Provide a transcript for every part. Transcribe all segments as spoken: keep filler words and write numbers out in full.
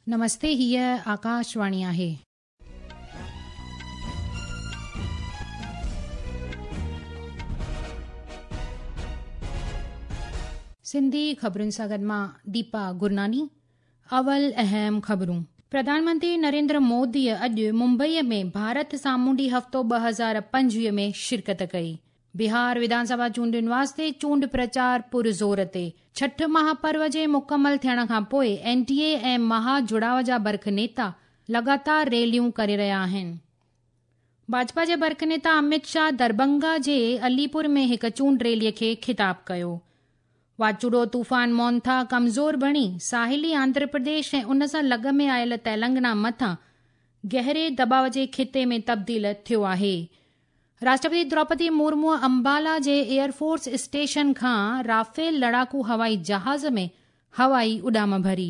नमस्ते, हीअ आकाशवाणी आहे। सिंधी ख़बरुनि सां गॾु मां दीपा गुरनानी। अवल अहम ख़बरूं। प्रधानमंत्री नरेंद्र मोदीअ अॼु मुंबईअ में भारत सामुंडी हफ़्तो ॿ हज़ार पंजवीह में शिरकत कई। बिहार विधानसभा चूंडुनि वास्ते चूंड प्रचार पुरज़ोर ते। छठ महापर्व जे मुकमल थियण खां पोइ एन डी ए ऐं महाजुड़ाव जा बर्ख नेता लगातार रैलियूं करे रहिया आहिनि। भाजपा जे बर्ख नेता अमित शाह दरभंगा जे अलीपुर में हिकु चूंड रैलीअ खे ख़िताब कयो। वाचुड़ो तूफ़ान मोन्था कमज़ोर बणी साहिली आंध्र प्रदेश ऐं उन सां लॻ में आयल तेलंगाना मथां गहरे दबाव जे ख़िते में तब्दील थियो आहे। राष्ट्रपति द्रौपदी मुर्मू अंबाला जे एयरफोर्स स्टेशन खां राफेल लड़ाकू हवाई जहाज़ में हवाई उॾाम भरी।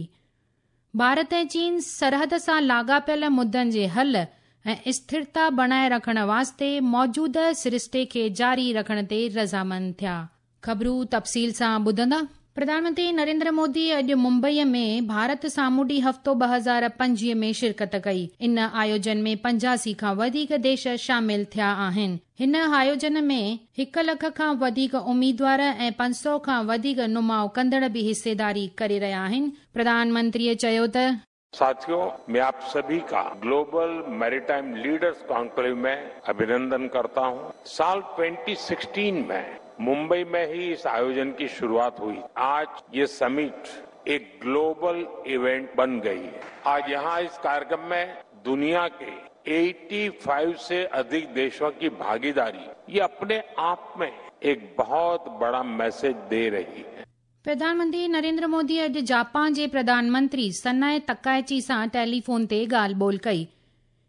भारत ऐं चीन सरहद सां लाॻापियल मुद्दनि जे हल ऐं स्थिरता बणाए रखण वास्ते मौजूदा सरिश्ते खे जारी रखण ते रज़ामंद थिया। ख़बरूं तफ़सील सां ॿुधंदा। प्रधानमंत्री नरेंद्र मोदी अॼु मुंबईअ में भारत सामुंडी हफ़्तो ॿ हज़ार पंजवीह में शिरकत कई। इन आयोजन में पंजासी खां वधीक देश शामिल थिया आहिनि। हिन आयोजन में हिकु लख खां वधीक उम्मीदवार ऐं पंज सौ खां वधीक नुमाउ कंदड़ बि हिस्सेदारी करे रहिया आहिनि। प्रधानमंत्रीअ चयो त साथियों, मैं आप सभी का ग्लोबल मैरीटाइम लीडर्स कॉन्क्लेव में अभिनंदन करता हूं। साल दो हज़ार सोलह में मुंबई में ही इस आयोजन की शुरुआत हुई। आज ये समिट एक ग्लोबल इवेंट बन गई है। आज यहाँ इस कार्यक्रम में दुनिया के पचासी से अधिक देशों की भागीदारी ये अपने आप में एक बहुत बड़ा मैसेज दे रही है। प्रधानमंत्री नरेंद्र मोदी अॼु जापान जे प्रधानमंत्री सनाए तकाइची सां टेलीफोन ते ॻाल्हि ॿोल कई।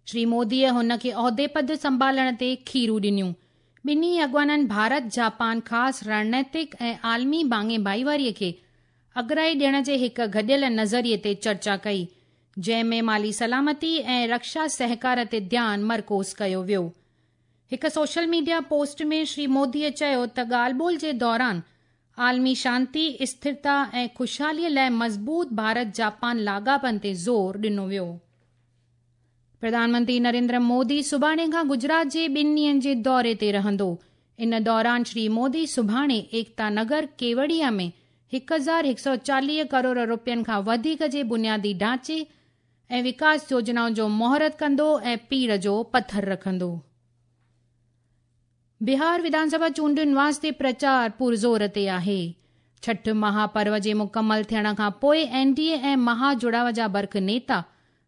श्री मोदीअ हुन खे औहदे पद संभालण ते खीरूं ॾिनियूं। ॿिन्ही अॻवाननि भारत जापान ख़ासि रणनैतिक ऐं आलमी भाङे भाईवारीअ खे अगराई ॾियण जे हिकु गॾियल नज़रिए ते चर्चा कई, जंहिं में माली सलामती ऐं रक्षा सहकार ते ध्यानु मरकूज़ कयो वियो। हिकु सोशल मीडिया पोस्ट में श्री मोदीअ चयो त ॻाल्हि ॿोल जे दौरान आलमी शांति, स्थिरता ऐं ख़ुशहालीअ लाइ मज़बूत भारत जापान लाॻापनि ते ज़ोर ॾिनो वियो। प्रधानमंत्री नरेंद्र मोदी सुभाणे खां गुजरात जे ॿिनि ॾींहंनि जे दौरे ते रहंदो। इन दौरान श्री मोदी सुभाणे एकता नगर केवड़िया में हिकु हज़ार हिकु सौ चालीह करोड़ रुपयनि खां वधीक जे बुनियादी ढांचे ऐं विकास योजनाउनि जो मुहूर्त कंदो ऐं पीड़ जो पथर रखंदो। बिहार विधानसभा चूंडुनि वास्ते प्रचार पुरज़ोर ते आहे। छठ महापर्व जे मुकमल थियण खां पोइ एन डी ए ऐं महाजुड़ाव जा बर्ख नेता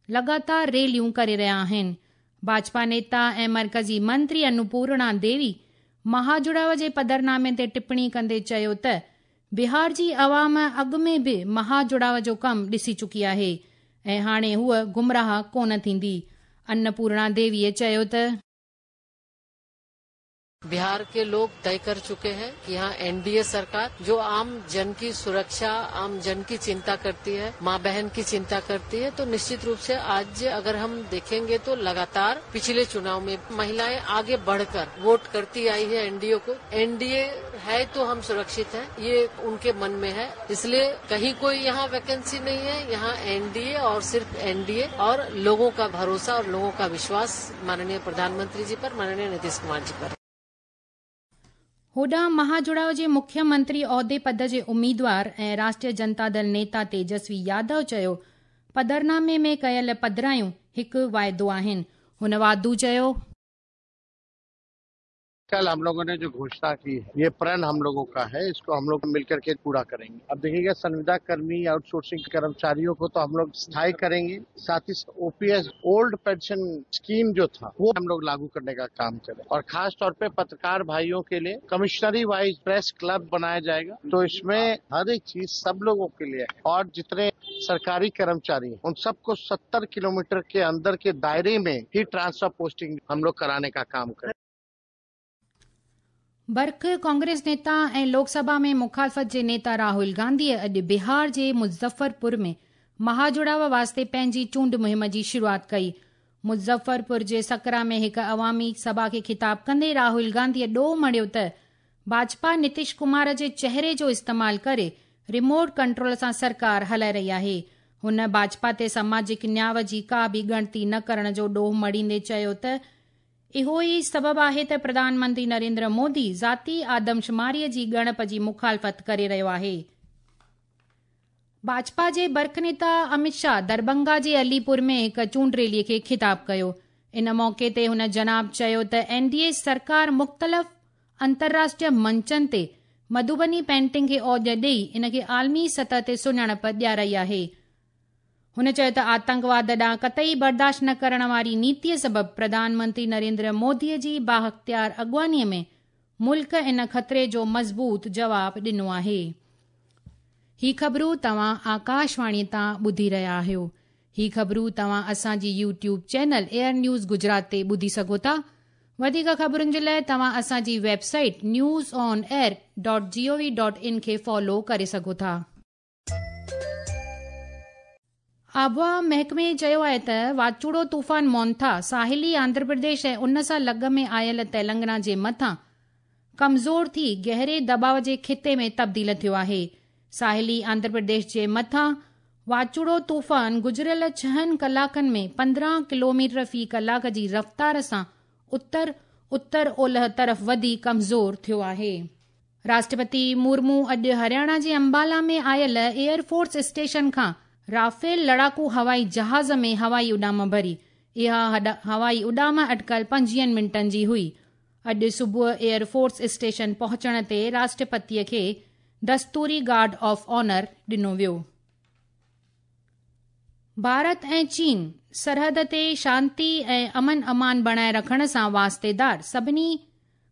लगातार रैलियूं करे रहिया आहिनि। भाजपा नेता ऐं मर्कज़ी मंत्री अन्नपूर्णा देवी महाजुड़ाव जे पधरनामे ते टिप्पणी कंदे चयो त बिहार जी अवाम अॻु में बि महाजुड़ाव जो कमु ॾिसी चुकी आहे ऐं हाणे हूअ गुमराह कोन थींदी। अन्नपूर्णा देवीअ चयो त बिहार के लोग तय कर चुके हैं कि यहाँ एनडीए सरकार जो आम जन की सुरक्षा, आम जन की चिंता करती है, माँ बहन की चिंता करती है, तो निश्चित रूप से आज अगर हम देखेंगे तो लगातार पिछले चुनाव में महिलाएं आगे बढ़कर वोट करती आई है एनडीए को। एनडीए है तो हम सुरक्षित हैं, ये उनके मन में है। इसलिए कहीं कोई यहाँ वैकेंसी नहीं है, यहाँ एनडीए और सिर्फ एनडीए और लोगों का भरोसा और लोगों का विश्वास माननीय प्रधानमंत्री जी पर, माननीय नीतीश कुमार जी पर। होॾां महाजुड़ाव जे मुख्यमंत्री औहदे पद जे उम्मीदवार ऐं राष्ट्रीय जनता दल नेता तेजस्वी यादव चयो पधरनामे में कयल पधरायूं हिकु वाइदो आहिनि। हुन वाधू चयो, कल हम लोगों ने जो घोषणा की है ये प्रण हम लोगों का है, इसको हम लोग मिलकर के पूरा करेंगे। अब देखिएगा, संविदा कर्मी, आउटसोर्सिंग कर्मचारियों को तो हम लोग स्थायी करेंगे, साथ ही ओपीएस ओल्ड पेंशन स्कीम जो था वो हम लोग लागू करने का काम करें और खास तौर पे पत्रकार भाइयों के लिए कमिश्नरी वाइज प्रेस क्लब बनाया जाएगा। तो इसमें हर एक चीज सब लोगों के लिए है और जितने सरकारी कर्मचारी हैं उन सबको सत्तर किलोमीटर के अंदर के दायरे में ही ट्रांसफर पोस्टिंग हम लोग कराने का काम करें। बर्ख कांग्रेस नेता ऐं लोकसभा में मुखालफ़त जे नेता राहुल गांधीअ अॼु बिहार जे मुज़फ़्फ़रपुर में महाजुड़ाव वास्ते पंहिंजी चूंड मुहिम जी शुरूआत कई। मुज़फ़्फ़रपुर जे सकरा में हिकु अवामी सभा खे ख़िताब कंदे राहुल गांधीअ ॾोह मढ़ियो त भाजपा नीतीश कुमार जे चेहरे जो इस्तेमालु करे रिमोट कंट्रोल सां सरकार हलाए रही आहे। हुन भाजपा ते सामाजिक न्याय जी का बि ॻणती न करण जो ॾोह मढ़ींदे चयो त इहो ई सबबु आहे त प्रधानमंत्री नरेंद्र मोदी ज़ाती आदमशुमारीअ जी ॻणप जी मुखालफ़त करे रहियो आहे। भाजपा जे बर्ख नेता अमित शाह दरभंगा जे अलीपुर में हिकु चूंड रैलीअ खे ख़िताब कयो। इन मौक़े ते हुन जनाब चयो त एनडीए सरकार मुख़्तलिफ़ अंतर्राष्ट्रीय मंचनि ते मधुबनी पेंटिंग खे औज ॾेई इन खे आलमी सतह ते सुञाणप ॾियाराई आहे। हुन चयो त आतंकवाद ॾांहुं कतई बर्दाश्त न करण वारी नीतीअ सबबु प्रधानमंत्री नरेंद्र मोदीअ जी बाअख़्तियार अॻुवानीअ में मुल्क इन ख़तरे जो मज़बूत जवाब ॾिनो आहे। ही ख़बरूं तव्हां आकाशवाणी तां ॿुधी रहिया आहियो। ही ख़बरूं तव्हां असांजी YouTube channel air news Gujarat ते ॿुधी सघो था। वधीक ख़बरुनि जे लाइ तव्हां असांजी website news on air dot G O V dot in खे फॉलो करे सघो था। आबहावा महकमे चयो आहे त वाचूड़ो तूफ़ान मोंथा साहिली आंध्र प्रदेश ऐं उन सां लॻ में आयल तेलंगाना जे मथां कमज़ोर थी गहरे दबाव जे ख़िते में तब्दील थियो आहे। साहिली आंध्र प्रदेश जे मथां वाचूड़ो तूफ़ान गुज़िरियल छहनि कलाकनि में पंद्रहं किलोमीटर फ़ी कलाक जी रफ़्तार सां उत्तर उत्तर ओलह तरफ़ वधी कमज़ोर थियो आहे। राष्ट्रपति मुर्मू अॼु हरियाणा जे अंबाला में आयल एयरफोर्स स्टेशन खां राफेल लड़ाकू हवाई जहाज़ में हवाई उॾाम भरी। इहा हवाई उॾाम अटकल पंजवीहनि मिंटनि जी हुई। अॼु सुबुह एयरफोर्स स्टेशन पहुचण ते राष्ट्रपतीअ खे दस्तूरी गार्ड ऑफ ऑनर ॾिनो वियो। भारत ऐं चीन सरहद ते शांति ऐं अमन अमान बणाए रखण सां वास्तेदार सभिनी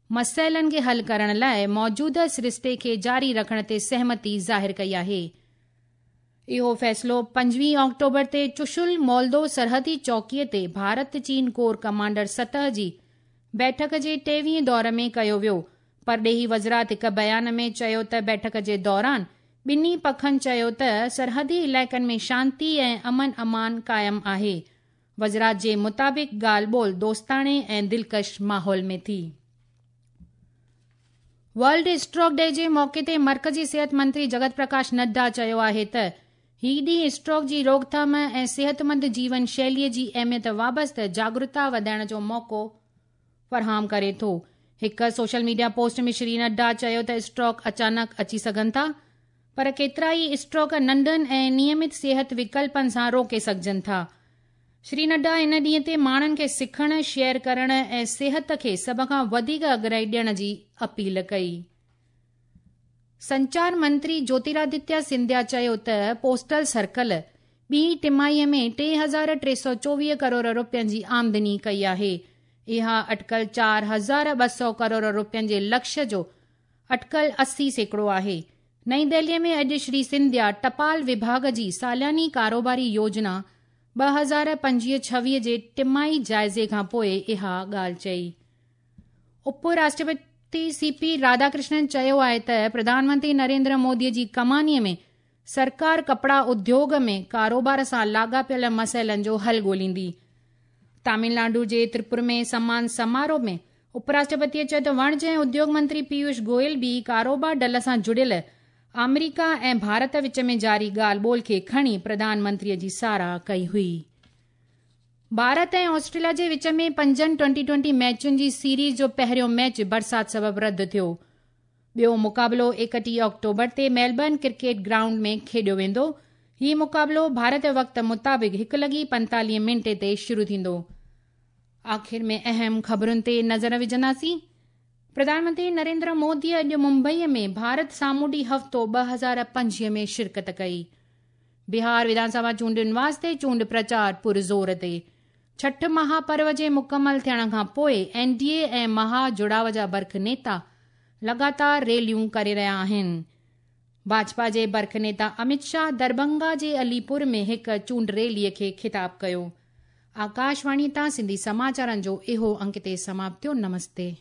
मसइलनि खे हल करण लाइ मौजूदा सरिश्ते खे जारी रखण ते सहमति ज़ाहिर कई आहे। इहो फ़ैसिलो पंजवीह ऑक्टोबर ते चुशुल मोल्दो सरहदी चौकीअ ते भारत चीन कोर कमांडर सतह जी बैठक जे टेवीह दौर में कयो वियो। परॾेही वज़ारत हिकु बयान में चयो त बैठक जे दौरान ॿिन्ही पखनि चयो त सरहदी इलाइक़नि में शांति ऐं अमन अमान क़ाइमु आहे। वज़ारत जे मुताबिक़ ॻाल्हि ॿोल दोस्ताणे ऐं दिलकश माहौल में थी। वर्ल्ड स्ट्रोक डे जे मौक़े ते मर्कज़ी सिहत मंत्री जगत प्रकाश नड्डा चयो आहे त ही ॾींहुं स्ट्रोक जी रोकथाम ऐं सिहतमंद जीवन शैलीअ जी अहमियत वाबस्ता जागरूकता वधाइण जो मौक़ो फराहम करे थो। हिकु सोशल मीडिया पोस्ट में श्री नड्डा चयो त स्ट्रोक अचानक अची सघनि था, पर केतिरा ई स्ट्रोक नंढनि ऐं नियमित सिहत विकल्पनि सां रोके सघजनि था। श्री नड्डा इन ॾींहं ते माण्हुनि खे सिखण, शेयर करण ऐं सिहत खे सभ खां वधीक अगराई ॾियण जी अपील कई। संचार मंत्री ज्योतिरादित्य सिंधिया चयो त पोस्टल सर्कल ॿी टिमाहीअ में टे हज़ार टे सौ चोवीह करोड़ रुपयनि जी आमदनी कई आहे। इहा अटकल चारि हज़ार ॿ सौ करोड़ रुपयनि जे लक्ष्य जो अटकल अस्सी सैकड़ो आहे। नई दिल्लीअ में अॼु श्री सिंधिया टपाल विभाग जी सालानी कारोबारी योजना ॿ हज़ार पंजवीह छवीह जे टिमाही जाइज़े खां पोइ इहा ॻाल्हि चई। उप राष्ट्रपति सीपी राधाकृष्णन चयो आहे त प्रधानमंत्री नरेंद्र मोदीअ जी कमानीअ में सरकार कपड़ा उद्योग में कारोबार सां लाॻापियल मसइलनि जो हल ॻोल्हींदी। तमिलनाडु जे त्रिपुर में सम्मान समारोह में उपराष्ट्रपतीअ चयो त वणिज ऐं उद्योग मंत्री पीयूष गोयल बि कारोबार डल सां जुड़ियल आमेरिका ऐं भारत विच में जारी ॻाल्हि ॿोल खे खणी प्रधानमंत्रीअ जी सराह कई हुई। भारत ऐं ऑस्ट्रेलिया जे विच में पंजनि ट्वेंटी ट्वेंटी मैचुनि जी सीरीज़ जो पहिरियों मैच बरसाति सबबु रद्द थियो। ॿियो मुक़ाबिलो एकटीह ऑक्टोबर ते मेलबर्न क्रिकेट ग्राउंड में खेॾियो वेंदो। हीउ मुक़ाबिलो भारत वक़्त मुताबिक़ हिकु लॻी पंतालीह मिंटे ते शुरू थींदो। आख़िर में अहम ख़बरुनि ते नज़र विझंदासीं। प्रधानमंत्री नरेंद्र मोदी अॼु मुंबईअ में भारत सामुंडी हफ़्तो ॿ हज़ार पंजवीह में शिरकत कई। बिहार विधानसभा चूंडुनि वास्ते चूंड प्रचार पुरज़ोर ते। छठ महापर्व जे मुकमल थियण खां पोइ एनडीए ऐं महाजुड़ाव जा बर्ख नेता लगातार रैलियूं करे रहिया आहिनि। भाजपा जे बर्ख नेता अमित शाह दरभंगा जे अलीपुर में हिकु चूंड रैलीअ खे ख़िताब कयो। आकाशवाणी तां सिंधी समाचारनि जो इहो अंक ते समाप्त थियो। नमस्ते।